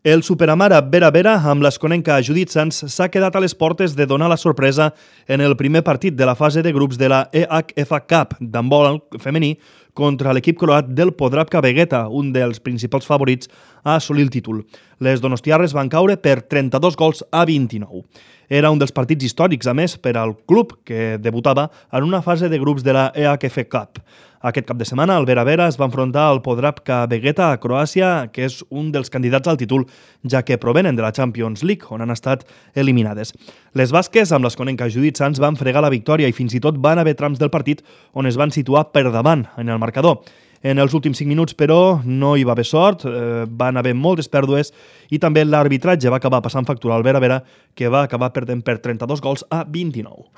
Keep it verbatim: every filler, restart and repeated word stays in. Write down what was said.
El Superamara Vera Vera amb l'esconenca Judit Sanz s'ha quedat a les portes de donar la sorpresa en el primer partit de la fase de grups de la E H F Cup d'handbol femení contra l'equip croat del Podravka Vegeta, un dels principals favorits a assolir el títol. Les donostiarres van caure per trenta-dos gols a vint-i-nou. Era un dels partits històrics, a més, per al club, que debutava en una fase de grups de la E H F Cup. Aquest cap de setmana, el Vera Vera es va enfrontar al Podravka Vegeta a Croàcia, que és un dels candidats al títol, ja que provenen de la Champions League, on han estat eliminades. Les basques, amb l'esconenca Judit Sanz, van fregar la victòria i fins i tot van haver trams del partit on es van situar per davant en el marcador. En els últims cinc minuts, però, no hi va haver sort, eh, van haver moltes pèrdues i també l'arbitratge va acabar passant factura al Vera Vera, que va acabar perdent per trenta-dos gols a vint-i-nou.